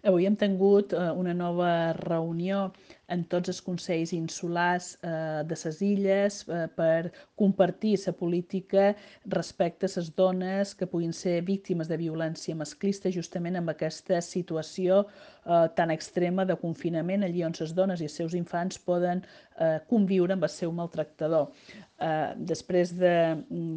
Avui hem tingut una nova reunió en tots els consells insulars de les illes per compartir la política respecte a les dones que puguin ser víctimes de violència masclista justament amb aquesta situació tan extrema de confinament, allí on les dones i els seus infants poden conviure amb el seu maltractador. Després de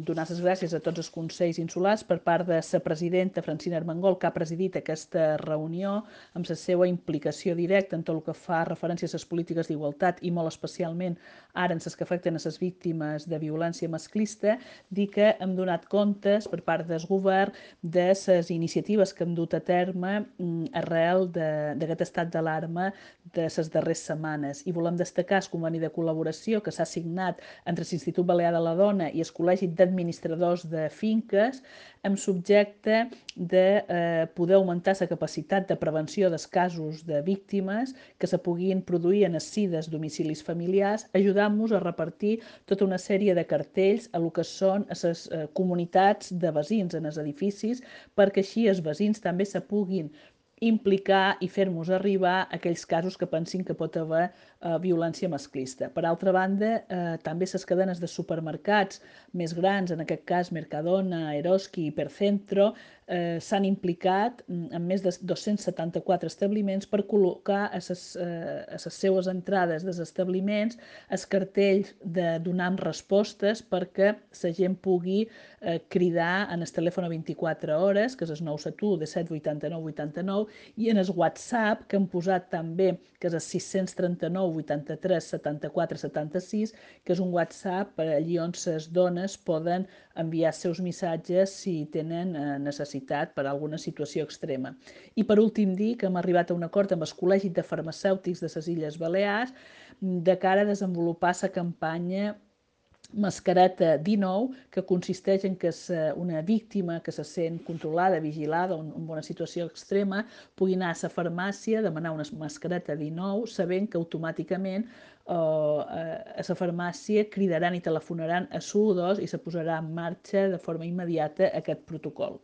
donar les gràcies a tots els consells insulars per part de la presidenta Francina Armengol, que ha presidit aquesta reunió, amb la seva implicació directa en tot el que fa referència a les polítiques d'igualtat i molt especialment ara en les que afecten a les víctimes de violència masclista, dir que hem donat comptes per part del govern de les iniciatives que hem dut a terme arrel d'aquest estat d'alarma de les darreres setmanes. I volem destacar el conveni de col·laboració que s'ha signat entre l'Institut Balear de la Dona i el Col·legi d'Administradors de Finques amb subjecte de poder augmentar la capacitat de prevenció dels casos de víctimes que se puguin produir en els si dels domicilis familiars, ajudant-nos a repartir tota una sèrie de cartells a lo que són les comunitats de veïns en els edificis, perquè així els veïns també se puguin implicar i fer-nos arribar aquells casos que pensin que pot haver violència masclista. Per altra banda, també les cadenes de supermercats més grans, en aquest cas Mercadona, Eroski i Hipercentro, s'han implicat en més de 274 establiments per col·locar a les seues entrades dels establiments els cartells de donar respostes perquè la gent pugui cridar en el telèfon a 24 hores, que és el 971 17 89 89, i en el WhatsApp, que han posat també, que és el 639 83 74 76, que és un WhatsApp per allí on les dones poden enviar els seus missatges si tenen necessitat per a alguna situació extrema. I per últim dir que hem arribat a un acord amb el Col·legi de Farmacèutics de les Illes Balears de cara a desenvolupar la campanya Mascareta 19, que consisteix en que una víctima que se sent controlada, vigilada o en una situació extrema pugui anar a la farmàcia, demanar una mascareta 19, sabent que automàticament a la farmàcia cridaran i telefonaran a SU2 i se posarà en marxa de forma immediata aquest protocol.